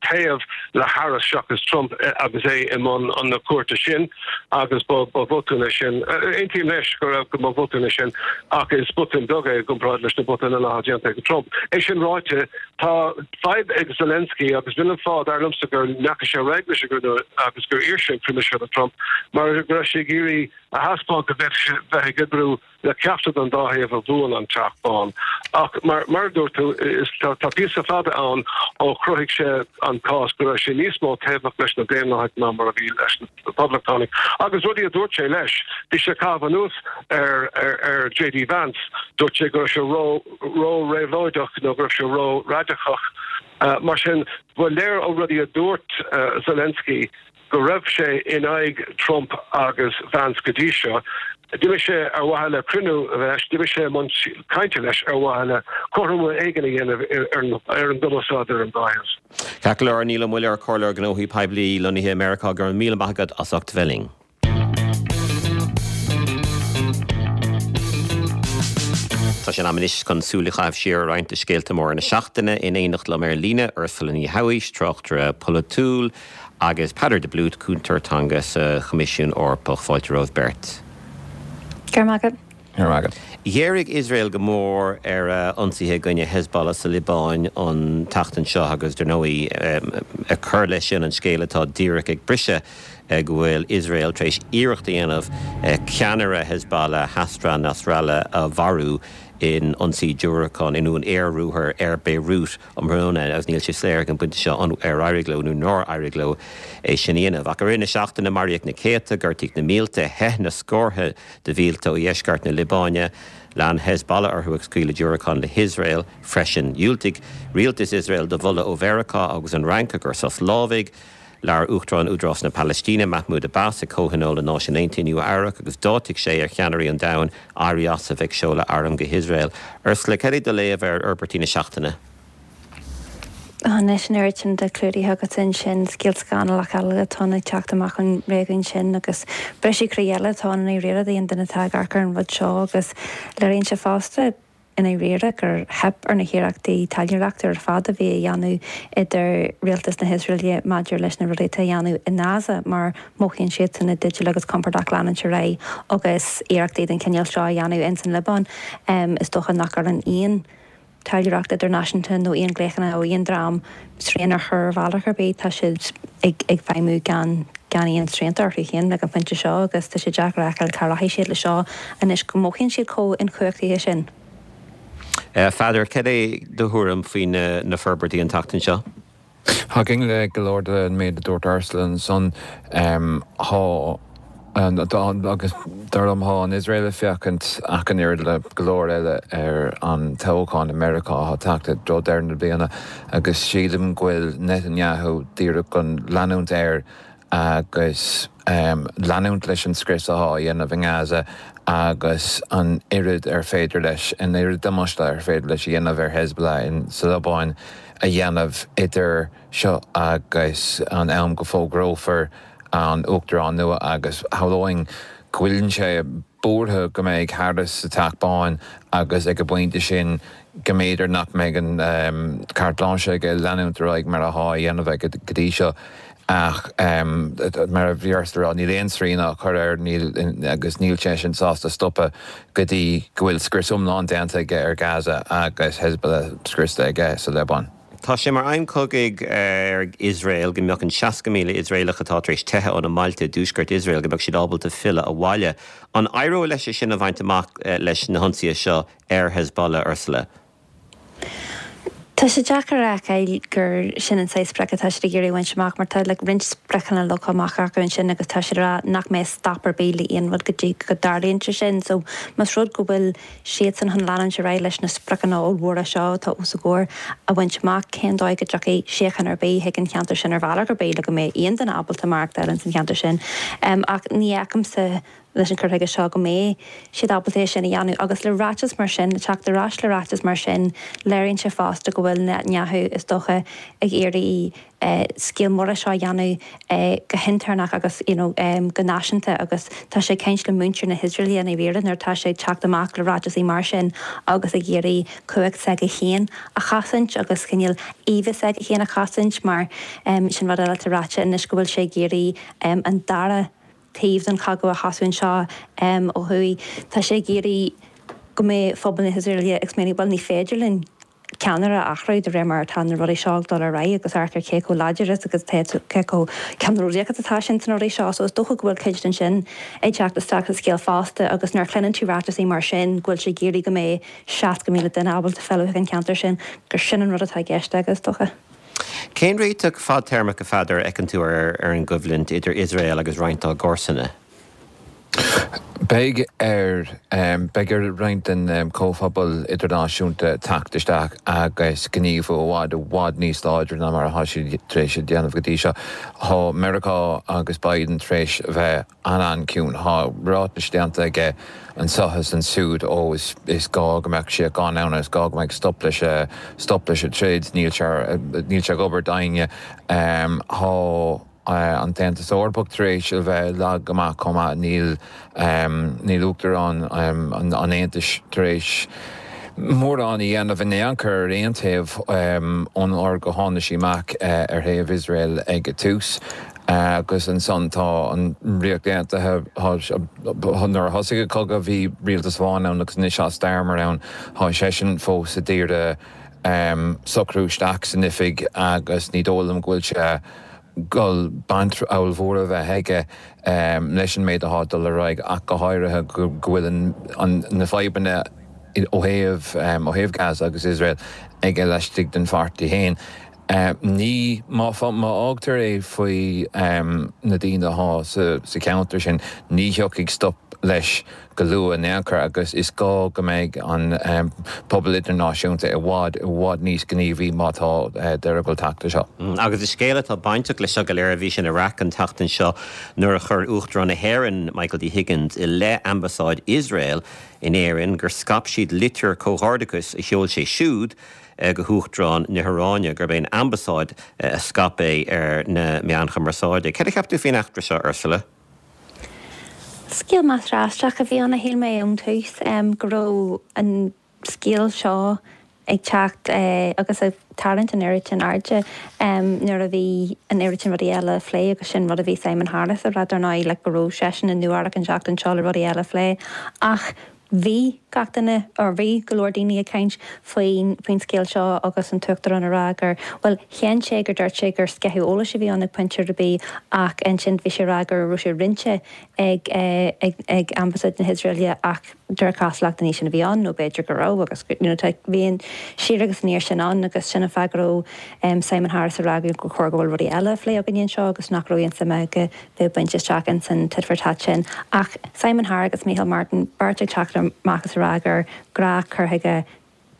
taobh le Harris seachas Trump agus é i mbun na cuairte sin agus ba bhotún é sin. Aontaím leis go raibh go mba bhotún é sin ach is botún beag é i gcomparáid leis na botúin eile atá déanta ag Trump. É sin ráite, tá fadhb ag Zelensky agus b'in an fáth, dar liomsa, go ndeachaigh sé ar aghaidh leis an gcruinniú agus gur iarr sé an cruinniú seo le Trump mar go raibh sé ag iarraidh a thaispeáint go bhféadfadh sé bheith ag oibriú le ceachtar den dá thaobh a bhuann an Teach Bán. Ach mar a dúirt tú, tá píosa fada ann ó chruthaigh sé an cás go raibh sé níos mó taobhach leis na Daonlathaigh ná mar a bhí leis na Poblachtánaigh. Agus rudaí a dúirt sé leis, bhí sé ag caitheamh anuas ar JD Vance, dúirt sé go raibh sé ró-réabhlóideach nó go raibh sé ró-raidiceach. Mar sin, ba léir ó rudaí a dúirt Zelensky go raibh sé in aghaidh Trump agus Vance go dtí seo. D'imigh sé ar mhaithe le cruinniú leis, d'imigh sé i mbun cainte leis ar mhaithe le cothromú éigin a dhéanamh ar an gcumarsáid ar an dá thaobh. Ceart go leor, Niall Ó Muilleoir, Comhairleoir Gnóthaí Poiblí lonnaithe i Meiriceá, go raibh míle maith agat as ucht bheith linn. Tá sé in am anois chun súil a chaitheamh siar ar roinnt de scéalta móra na seachtaine. In éineacht liom ar líne, Ursula Ní Shabhaois, tráchtaire polaitiúil, agus Peadar de Blúit, Cúntóir Teanga sa Choimisiún Eorpach. Fáilte romhaibh beirt. Go raibh maith agat. Go raibh maith agat. Ghéaraigh Iosrael go mór ar a ionsaithe i gcoinne Hezbollah sa Liobáin an tseachtain seo agus, dar ndóigh, ag cur leis sin an scéal atá díreach ag briseadh go bhfuil Iosrael tar éis iarracht a dhéanamh ceannaire Hezbollah, Hassan Nasrallah, a mharú in ionsaí diúracán, nó in aer-ruathar ar Beirut. um thráthnóna agus níl sé soiléir ag an bpointe seo an ar éirigh leo nó nár éirigh leo é sin a dhéanamh. Ach i rith na seachtaine, maraíodh na céadta, gortaíodh na mílte, theith na scórtha de mhílte ó dheisceart na Liobáine. Lean Hezbollah orthu ag scaoileadh diúracán le hIosrael freisin. Dhiúltaigh rialtas Iosrael do mholadh ó Mheiriceá agus an Fhrainc i gcomhair sos lámhaigh. Labhair Uachtarán Údarás na Palaistíne, Mahmoud Abbas, ag Comhthionól na Náisiún Aontaithe i Nua Eabhrac agus d'áitigh sé ar cheannairí an domhain éirí as a bheith ag seoladh arm go hIosrael. Ursula, cad é do léamh ar fhorbairtí na seachtaine? Anois an oiread sin de clúdaithe agat ansin, scéal scannalach eile atá ann ag teacht amach ón réigiún sin agus briseadh croí eile atá ann i ndáiríre d'aon duine atá ag amharc ar an rud seo agus léiríonn sé fosta, i ndáiríre gur theip ar na hiarrachtaí taidhleoireachta ar fad a bhí á dhéanamh idir rialtas na hIosraeile maidir leis na rudaí atá á dhéanamh i nGaza mar mothaíonn siadsan i dteideal agus compordach leanúint ar aghaidh agus iarrachtaí den chineál seo a dhéanamh ins an Liobáin. Is dócha nach gcuireann aon taidhleoireacht idirnáisiúnta nó aon ghlaochanna ó aon dream srian a chur ar bhealach ar bith, tá siad ag feidhmiú gan gan aon srianta orthu féin ag an phointe seo agus tá sé deacair a fheiceáil cá rachaidh siad le seo anois go mothaíonn siad chomh inchumhachtaithe sin. A Pheadair, cad é do thuairim faoi na forbairtí an tseachtain seo? Thiocfainn le go leor den méid a dúirt Ursula ansan. Tá. Agus dar liom, tá an Iosrael ag féachaint ach an oiread le go leor eile ar an toghchán i Meiriceá atá ag teacht i dtreo deireadh na bliana agus sílim go bhfuil Netanyahu díreach chun leanúint air agus leanúint leis an scrios atá á dhéanamh i nGaza agus an oiread ar féidir leis, an oiread damáiste ar féidir leis a dhéanamh ar Hezbollah sa Liobáin a dhéanamh idir seo agus an am go bhfógrófar an Uachtarán nua agus shamhlóinn go bhfuil sé buartha go mbeidh Harris sa Teach Bán agus ag an bpointe sin go mb'fhéidir nach mbeidh an carte blanche aige leanúint ar aghaidh mar atá á dhéanamh aige go dtí seo. Ach mar a bhí Ursula a rá, níl aon srian á chur air níl agus níl seisean sásta stopadh go dtí go bhfuil scrios iomlán déanta aige ar Gaza agus Hezbollah scriosta aige sa Liobáin. Tá sé mar aidhm cogaidh ag Iosrael go mbeadh an 60,000 Iosraelach atá tar éis teitheadh óna mbailte i dtuaisceart Iosrael, go mbeadh siad ábalta filleadh abhaile. An éireoidh leis é sin a bhaint amach leis na hionsaithe seo ar Hezbollah, Ursula? Tá sé deacair a fheiceáil gur sin an saghas sprioc atá siad ag iarraidh a bhaint amach mar tá like roinnt spriocanna leagtha amach acu ansin agus tá siad ag rá nach mbeidh stop ar bith le aon rud go dtí go dtarlaíonn sé sin. So más rud go bhfuil siadsan chun leanúint ar aghaidh leis na spriocanna ollmhóra seo atá os a gcomhair a bhaint amach, cén dóigh go dtiocfaidh síocháin ar bith chuig an cheantar sin ar bhealach ar bith le go mbeidh aon duine ábalta maireachtáil ins an cheantar sin. Ach ní fheicimse leis an cur chuige seo go mbeidh siad ábalta é sin a dhéanamh. Agus le ráiteas mar sin, le teacht ar ais le ráiteas mar sin, léiríonn sé fosta go bhfuil Netanyahu, is dócha, ag iarraidh scéal mór de seo a dhéanamh go hintéirneach agus you know go náisiúnta agus tá sé ag caint le muintir na hIosraeile i ndáiríre nuair atá sé ag teacht amach le ráiteasaí mar sin agus ag iarraidh cumhacht s'aige féin a chosaint agus cineál íomha s'aige féin a chosaint mar sin rud eile atá ráite anois go bhfuil sé ag iarraidh an dara taobh den chogadh a thosú anseo ó thuaidh. Tá sé ag iarraidh go mbeidh phobal na hIosraeile ag smaoineamh, bhuel ní féidir linn ceannaire a athrú de réir mar atá na rudaí seo ag dul ar aghaidh agus amharc ar cé chomh láidir is agus cé chomh ceannródaíoch is atá sé sna rudaí seo. So is dócha go bhfuil cuid den sin ag teacht isteach sa scéal fosta agus nuair a chluineann tú ráiteasaí mar sin go bhfuil sé ag iarraidh go mbeidh 60,000 duine ábalta filleadh chuig an cheantar sin, gur sin an rud atá i gceist aige is dócha. Cén réiteach fadtéarmach, a Pheadair, a fheiceann tú ar an gcoimhlint idir Iosrael agus roinnt dá gcomharsana? Beidh ar beidh ar roinnt den chomhphobal idirnáisiúnta teacht isteach agus gníomhú i bhfad i bhfad níos láidre ná mar atá siad tar éis a dhéanamh go dtí seo. Tá Meiriceá agus Biden tar éis a bheith an-an-chiúin. Tá ráitis déanta aige anseo is ansiúd, ó is is gá go mbeadh síocháin ann, is gá go mbeadh stop leis stop leis an troid, níl sé níl sé ag obair d'éinne. Tá an tAontas Eorpach tar éis a bheith lag go maith chomh maith. Níl níl Uachtarán an Aontais tar éis mórán a dhéanamh in aon chor ar aon taobh ón uair go tháinig sí amach ar thaobh Iosrael ag an tús. Agus ansan tá an Ríocht Aontaithe, nuair a thosaigh an cogadh bhí rialtas amháin ann agus anois tá Starmer ann, tá seisean fós ag iarraidh socrú isteach san oifig agus ní dóigh liom go bhfuil sé ag dul baint ollmhór a bheith aige leis an méid atá ag dul ar aghaidh ach go háirithe go bhfuil na fadhbanna ó thaobh ó thaobh Gaza agus Iosrael aige laistigh den pháirtí féin. Ní, má fhágtar é faoi na daoine atá sa cheantar sin, ní thiocfaidh stop leis go luath in aon chor agus is gá go mbeidh an pobal idirnáisiúnta i bhfad, i bhfad níos gníomhaí má tá deireadh ag dul teacht leis seo. Agus is scéal atá bainteach leis seo go léir a bhí sin a raic an tseachtain seo nuair a chuir Uachtarán na hÉireann, Michael D Higgins, i leith Ambasáid Iosrael in Éirinn gur scaip siad litir comhghairdeachais a sheol sé siúd go hUachtarán na hIaráine, gurb é an Ambasáid a scaip é ar na meáin chumarsáide. Céard a cheap tú faoin eachtra seo, Ursula? Scéal measartha aisteach a bhí ann, a shíl mé ón tús, go raibh an scéal seo ag teacht agus ag tarraingt an oiread sin airde nuair a bhí an oiread sin rudaí eile a phlé agus sin rud a bhí Simon Harris a rá dar ndóigh, like go raibh seisean i Nua-Eabhrac an tseachtain seo le rudaí eile a phlé ach Bhí gach duine, or bhí go leor daoine ag caint faoin, faoin scéal seo agus an tUachtarán ag rá gur, bhuel, shéan sé gur dúirt sé gur sceitheadh eolais a bhí ann ag pointe ar bith ach ansin bhí sé ag rá go raibh sé roinnte ag, ag, ag Ambasáid na hIosraeile ach. De réir cosúlachta ní sin a bhí ann, nó b'fhéidir go raibh agus you know tá, bhí an siar agus aniar sin ann agus sin an fáth go raibh Simon Harris ag rá gur chóir go bhfuil rudaí eile á phlé againne anseo agus nach raibh aon suim aige bheith ag baint isteach ins an tit for tat sin. Ach Simon Harris agus Micheál Martin beirt ag teacht amach is ag rá gur gnáth cur chuige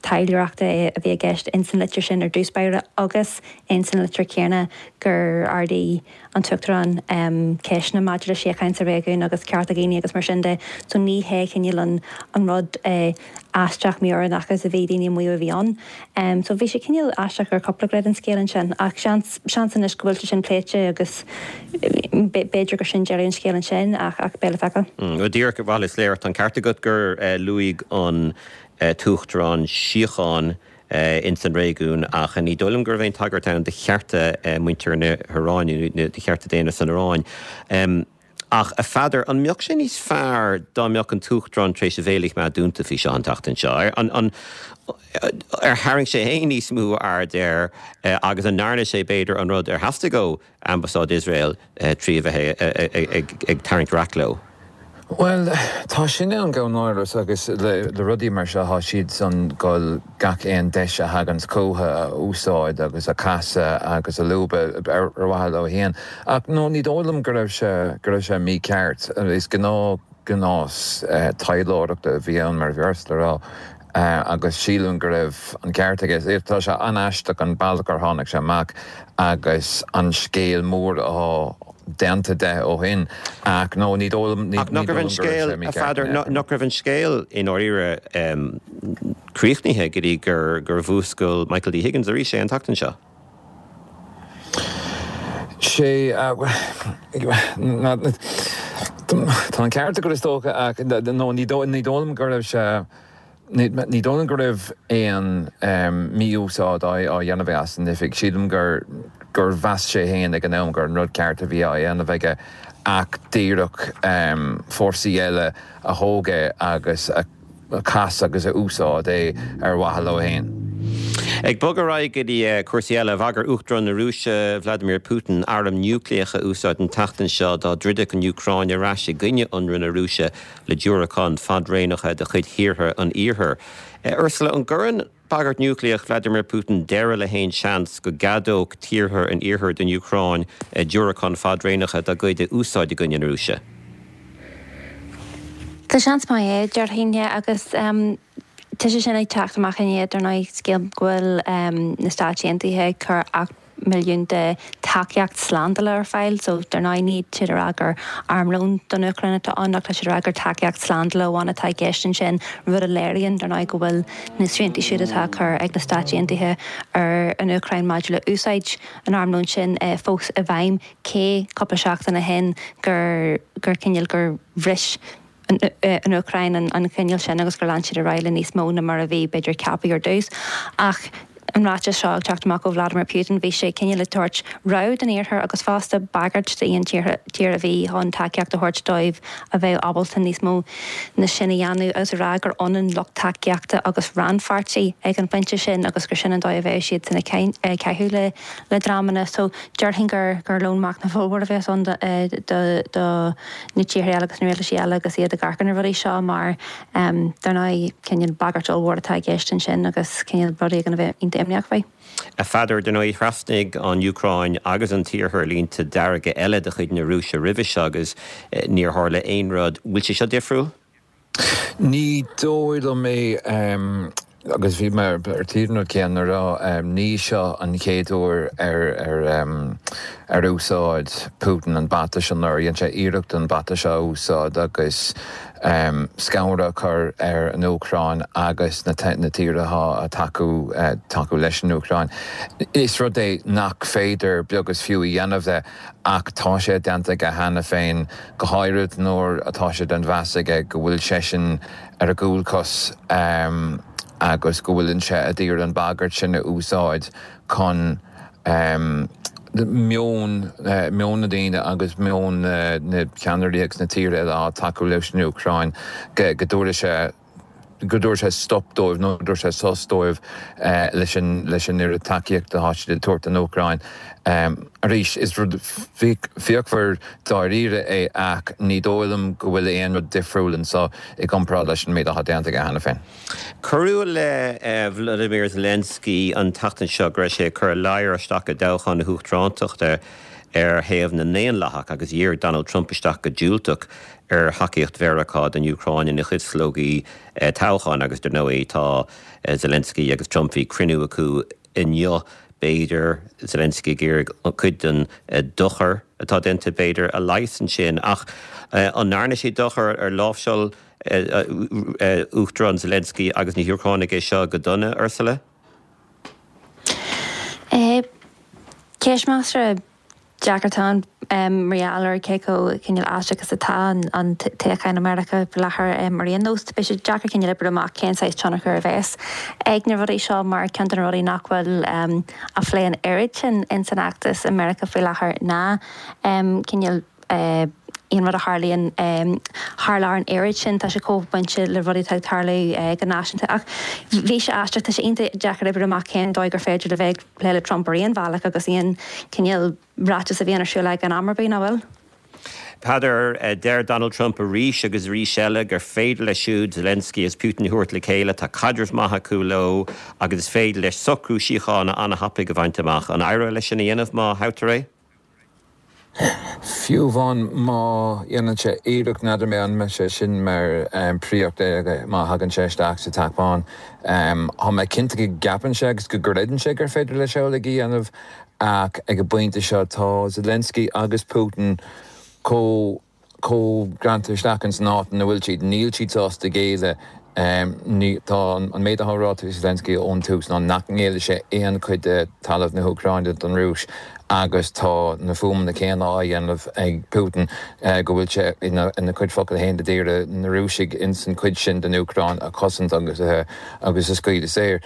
taidhleoireachta a bhí i gceist ins an litir sin ar dtús báire agus ins an litir chéanna gur ardaigh an tUachtarán ceisteanna maidir le síocháin sa réigiún agus cearta daoine agus mar sin de. So ní hé cineál an an rud aisteach mí-oiriúnach is a bhí daoine ag maíomh a bhí ann. So bhí sé cineál aisteach ar chúpla gné den scéal ansin ach seans seans anois go bhfuil sé sin pléite agus b'fhéidir gur sin deireadh an scéil ansin ach ach beidh le feiceáil. Go díreach, bhuel is léir tá an ceart agat gur luaigh an tUachtarán síocháin ins an réigiún ach ní dóigh liom go raibh aon tagairt ann do chearta muintir na hIaráine nó do chearta daonna san Iaráin. Ach, a Pheadair, an mbeadh sé níos fearr dá mbeadh an tUachtarán tar éis a bhéal a choimeád dúnta faoi seo an tseachtain seo? An ar tharraing sé féin níos mó aird air agus an ndearna sé, b'fhéidir, an rud ar theastaigh ó Ambasáid Iosrael trí a bheith ag tarraingt raic leo. Bhuel, tá sin ann gan amhras agus le rudaí mar seo tá siad chun dul gach aon deis a thaganns chucu a úsáid agus a chasadh agus a lúbadh ar mhaithe leo féin. Ach no, ní dóigh liom go raibh sé, go raibh sé mícheart. Is gnáth, gnás taidhleoireachta a bhí ann mar a bhí Ursula a rá. agus sílim go raibh an ceart aige. Tá sé an-aisteach an bealach ar tháinig sé amach agus an scéal mór atá déanta de ó shin ach no, ní dóigh liom, ní Ach nach dóigh raibh an liom go raibh scéal, sé a mícheart Pheadair, in aon chor. nach raibh an scéal i ndáiríre críochnaithe go dtí gur gur mhúscail Michael D. Higgins arís é an tseachtain seo? Sé, tá an ceart agat is dócha ach no, ní dóigh liom go raibh sé, ní dóigh liom go raibh aon mí-úsáid á dhéanamh aige as an oifig. Sílim gur gur mheas sé féin ag an am gur an rud ceart a bhí á dhéanamh aige ach díreach fórsaí eile a thóg é agus a chas agus a úsáid é ar mhaithe leo féin. Ag bogadh ar aghaidh go dtí cúrsaí eile, bhagair Uachtarán na Rúise, Vladimir Putin, airm núicléacha a úsáid an tseachtain seo dá dtroidfeadh an Úcráin ar ais i gcoinne ionradh na Rúise le diúracáin fadraonacha de chuid thíortha an Iarthair. Ursula, an gcuireann bagairt núicléach Vladimir Putin deireadh le haon seans go gceadódh tíortha an Iarthair don Úcráin diúracáin fadraonacha dá gcuid a úsáid i gcoinne na Rúise? Tá seans maith é, déarfainn, agus tá sé sin ag teacht amach i ndiaidh, dar ndóigh, scéal go bhfuil na Stáit Aontaithe ag cur milliún de tacaíocht slándála ar fáil. So, dar ndóigh, níl siad ag rá gur armlón don Úcráin atá ann ach tá siad ag rá gur tacaíocht slándála amháin atá i gceist ansin, rud a léiríonn, dar ndóigh, go bhfuil na srianta siúd atá á cur ag na Stáit Aontaithe ar an Úcráin maidir le úsáid an armlóin sin fós i bhfeidhm, cé cúpla seachtain ó shin gur gur cineál gur bhris an Úcráin an coinníoll sin agus gur lean siad ar aghaidh le níos mó ná mar a bhí, b'fhéidir, ceaptha ar dtús. Ach an ráiteas seo ag teacht amach ó Vladimir Putin, bhí sé cineál ag tabhairt rabhadh don Iarthar agus fosta bagairt d'aon tír a bhí chun tacaíocht a thabhairt dóibh a bheadh ábalta níos mó ná sin a dhéanamh agus a rá gur ionann lucht tacaíochta agus rannpháirtí ag an phointe sin agus gur sin an dóigh a bheadh siadsan ag caitheamh le le dreamanna. So déarfainn gur gur lón machnaimh ollmhór a bheas ann do do na tíortha eile agus na rialtaisí eile agus iad ag amharc ar na rudaí seo mar dar ndóigh cineál bagairt ollmhór atá i gceist ansin agus cineál rud éigin a bheith iontach imníoch faoi. A Pheadair, dar ndóigh thrasnaigh an Úcráin agus an tIarthar línte dearga eile de chuid na Rúise roimhe seo agus níor tharla aon rud. Bhfuil sé seo difriúil? Ní dóigh liom é, agus bhí mé ar tí an rud céanna a rá, ní seo an chéad uair ar ar úsáid Putin an bata seo, nó ar dhein sé iarracht an bata seo a úsáid agus scanradh a chur ar an Úcráin agus na tíortha atá ag tacú tacú leis an Úcráin. Is rud é nach féidir beag is fiú a dhéanamh de ach tá sé déanta aige cheana féin. go háirid nuair atá sé den mheas aige go bhfuil seisean ar a gcúlchos agus go bhfuileann sé a d'iarraidh an bhagairt sin a úsáid chun meon meon na ndaoine agus meon na ceannairí agus na tíortha eile atá ag tacú leis an Úcráin go dtabharfaidh sé. go dtabharfaidh sé stop dóibh nó go dtabharfaidh sé sos dóibh leis an leis an oiread tacaíochta atá siad ag tabhairt don Úcráin. Arís, is rud fíochmhar dáiríre é ach ní dóigh liom go bhfuil aon rud difriúil anseo i gcomparáid leis an méid atá déanta aige cheana féin. Cuireadh i leith Vladimir Zelensky an tseachtain seo go raibh sé ag cur a ladhar isteach i dtoghchán na huachtarántachta ar thaobh na nDaonlathach agus dhírigh Donald Trump isteach go diúltach ar thacaíocht Mheiriceá don Úcráin ina chuid slógaí toghcháin agus dar ndóigh tá Zelensky agus Trump, bhí cruinniú acu inniu, b'fhéidir, Zelensky ag iarraidh cuid den dochar atá déanta b'fhéidir a leigheas ansin ach an ndearna sé dochar ar láimhseáil Uachtarán Zelensky agus na hÚcránaigh é seo go dona, Ursula? Ceist measartha deacair atá ann mar gheall ar cé chomh cineál aisteach is atá an toghchán i Meiriceá faoi láthair ar aon nós. Beidh sé deacair cineál oibriú amach cén saghas tionchar a bheas ag na rudaí seo mar ceann de na rudaí nach bhfuil á phlé an oiread sin ins an fheachtas i Meiriceá faoi láthair ná cineál aon rud a tharlaíonn thar lear an oiread sin, tá sé chomh bainte le rudaí atá ag tarlú go náisiúnta. Ach bhí sé aisteach, tá sé iontach deacair oibriú amach cén dóigh gur féidir le bheith ag plé le Trump ar aon bhealach agus aon chineál ráiteas a bhíonn ar siúl aige in am ar bith, nach bhfuil? Peadar, deir Donald Trump arís agus arís eile gur féidir leis siúd Zelensky agus Putin a thabhairt le chéile, tá caidreamh maith acu leo agus is féidir leis socrú síochána an-thapaidh a bhaint amach. An éireoidh leis sin a dhéanamh má thoghtar é? Fiú amháin má dhéanann sé iarracht, n'fheadar mé an mbeidh sé sin mar phríoracht aige má thagann sé isteach sa Teach Bán. Tá mé cinnte go gceapann sé agus go gcreideann sé gur féidir leis amhlaidh a dhéanamh ach ag an bpointe seo tá Zelensky agus Putin chomh chomh greanta isteach ins an áit ina bhfuil siad. Níl siad sásta géilleadh. Tá an méid atá ráite ag Zelensky ón tús ná nach ngéillfidh sé aon chuid de talamh na hÚcráine don Rúis agus tá na fuaimeanna céanna á dhéanamh ag Putin go bhfuil sé ina chuid focal féin ag iarraidh na Rúisigh ins an chuid sin den Úcráin a chosaint agus agus a scaoileadh saor.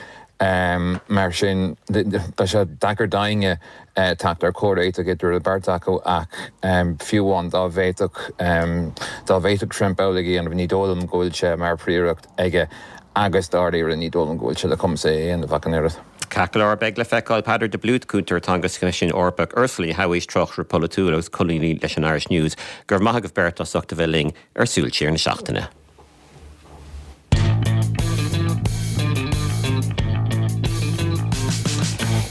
Mar sin beidh sé deacair d'éinne teacht ar chomhréiteach idir an bheirt acu ach fiú amháin dá bhféadfadh dá bhféadfadh Trump amhlaidh a dhéanamh, ní dóigh liom go bhfuil sé mar phríoracht aige agus dáiríre ní dóigh liom go bhfuil sé le cumas é a dhéanamh ach an oiread. Ceart go leor, beidh le feiceáil. Peadar de Blúit, Cúntóir Teanga sa Choimisiún Eorpach, Ursula Ní Shabhaois, Tráchtaire Polaitiúil agus Colúnaí leis an Irish News, go raibh maith agaibh beirt as ucht a bheith linn ar Súil Siar na Seachtaine.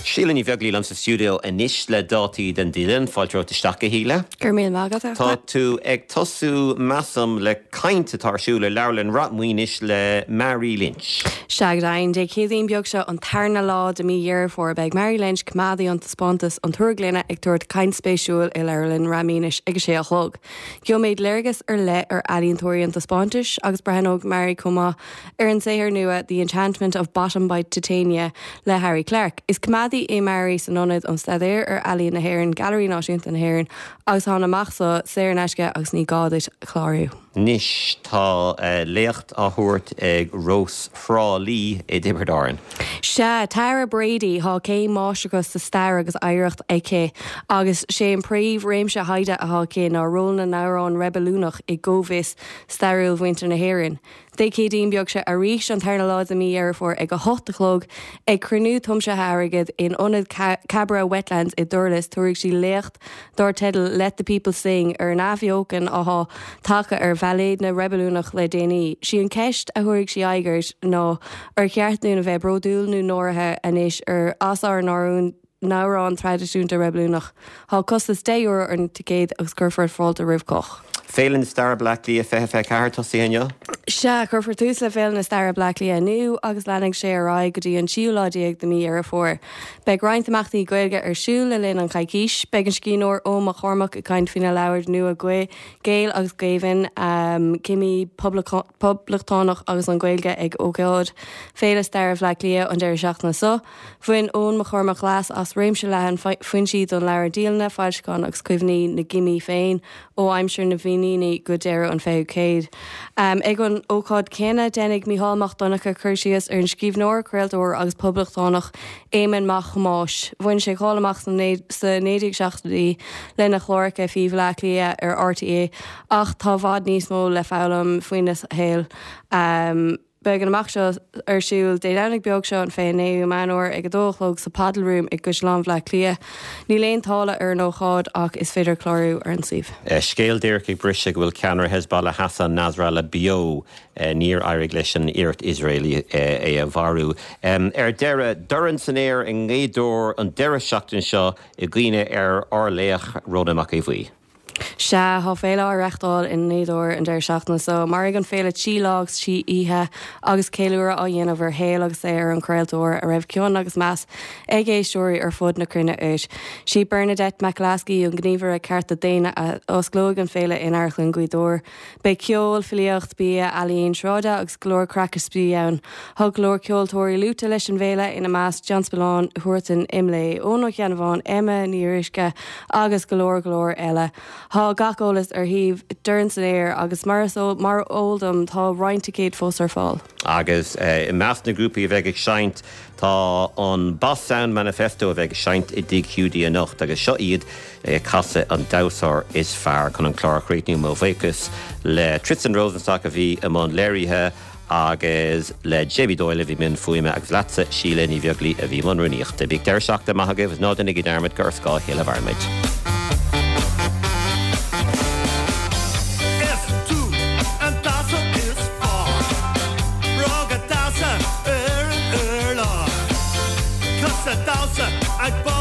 Síle Ní Bheaglaoí liom sa stiúideo anois le dátaí den dialann. Fáilte romhat isteach, a Shíle. Go raibh míle maith agat, a Tá tú ag tosú, measaim, le caint atá ar siúl i Leabharlann Ráth Maoinis le Mary Lynch. Sea, go deimhin. Dé Céadaoin beag seo, an tarna lá de mí Dheireadh Fómhair, beidh Mary Lynch, coimeádaí an taispeántas An Túr Gloine, ag tabhairt caint spéisiúil i Leabharlann Ráth Maoinis ag a sé a chlog. Gheobhaimid léargas ar leith ar ealaíontóirí an taispeántais agus breathnóidh Mary chomh maith ar an saothar nua The Enchantment of Bottom by Titania le Harry Clarke. Is coimeádaí é Mary san Ionad um Staidéar ar Ealaín na hÉireann, Gailearaí Náisiúnta na hÉireann, agus tá an imeacht seo saor in aisce agus ní gá duit clárú. Anois tá léacht á thabhairt ag Rós Thrá Lí i dTiobraid Árann. Sea, Tara Brady, thá céim máistreachta sa stair agus oidhreacht aici agus sé an príomh réimse thaighde athá aici ná ról na n-amhrán reibiliúnach i gcomhfhios stairiúil mhuintir na hÉireann. Dé Céadaoin beag seo arís, an tarna lá de mí Dheireadh Fómhair ag 8 a chlog, ag cruinniú tiomsaithe airgid in Ionad Cabra Wetlands i dTurlas, tabharfaidh sí léacht dar teideal Let the People Sing ar an athbheochan athá tagtha ar bhailéidne reibiliúnach le déanaí. Sí an ceist a thabharfaidh sí aghaidh air ná ar cheart dúinn a bheith bródúil nó náirithe anois ar as ár n-amhráin traidisiúnta reibiliúnach. Thá costas €10 ar na ticéid agus cuirfear fáilte roimh chách. Féile na Staire Bleá Cliath 2024 tosaithe inniu. Sea, cuirfear tús le Féile na Staire Bleá Cliath inniu agus leanfaidh sé ar aghaidh go dtí an tríú lá déag de mí Dheireadh Fómhair. Beidh roinnt imeachtaí Gaeilge ar siúl le linn an choicís. Beidh an scríbhneoir Eoin Mac Cormaic ag caint faoina leabhar nua Gaeil agus Géibheann, Cimí Poblachtánach agus an Ghaeilge ag ócáid Féile Staire Bhleá Cliath an deireadh seachtaine seo. Bhain Eoin Mac Cormaic leas as réimse leathan foinsí don leabhar, dialanna, foilseacháin agus cuimhní na gcimí féin ó aimsir na bhFíníní go deireadh an 20ú céad. Ag an ócáid chéanna, déanfaidh Mícheál Mac Donncha cur síos ar an scríbhneoir, craoltóir agus poblachtánach Éamonn Mac Thomáis. Bhain sé cáil amach sna 1970idí lena chláracha faoi Bhleá Cliath ar RTÉ ach tá i bhfad níos mó le foghlaim faoina shaol. Beidh an imeacht seo ar siúl Dé Domhnaigh beag seo an 29ú Meán Fhómhair ag 2 a chlog sa Padel Room i gCaisleán Bhaile Átha Cliath. Níl aon táille ar an ócáid ach is féidir clárú ar an suíomh. Scéal díreach ag briseadh go bhfuil ceannaire Hezbollah Hassan Nasrallah beo. Níor éirigh leis an iarracht Iosraelach é a mharú. Ar deireadh, Dorn san Aer i nGaoth Dobhair an deireadh seachtaine seo i gcuimhne ar ár laoch Rónán Mac Aodha Bhuí. Sea, tá féile á reachtáil i nGaoth Dobhair an deireadh seachtaine seo. Mairfidh an féile 3 lá agus 3 oíche agus ceiliúradh á dhéanamh ar shaol agus saothar an chraoltóra a raibh cion agus meas ag éisteoirí ar fud na cruinne air. Sí Bernadette McAliskey an gníomhaire cearta daonna a osclóidh an féile in Amharclann Ghaoth Dobhair. Beidh ceol, filíocht, bia, ealaín sráide agus go leor craic is spraoi ann. Tá go leor ceoltóirí luaite leis an bhféile, ina measc John Spillane, Huartan, Imlé, Eoin Ó Ceannabháin, Emma Ní Fhíoruisce agus go leor go leor eile. Tá gach eolas ar shuíomh Dorn san Aer agus mar is eol dom tá roinnt ticéad fós ar fáil. Agus i measc na ngrúpaí a bheidh ag seinnt tá an Boss Sound Manifesto a bheidh ag seinnt i dTigh Hiúdaí anocht agus seo iad ag casadh An Damhsóir Is Fearr chun an clár a chríochnú. Mo bhuíochas le Tristan Rosenstock a bhí i mbun léirithe agus le Jamie Doyle a bhí i mbun fuaime agus leatsa Síle Ní Bheaglaoich a bhí i mbun rúnaíochta. Bíodh deireadh seachtaine maith agaibh agus ná déanaigí dearmad gur ar scáth a chéile a mhaireann muid. Is tú an damhsóir is fearr. Bróga damhsa ar an urlár. Cosa damhsa ag.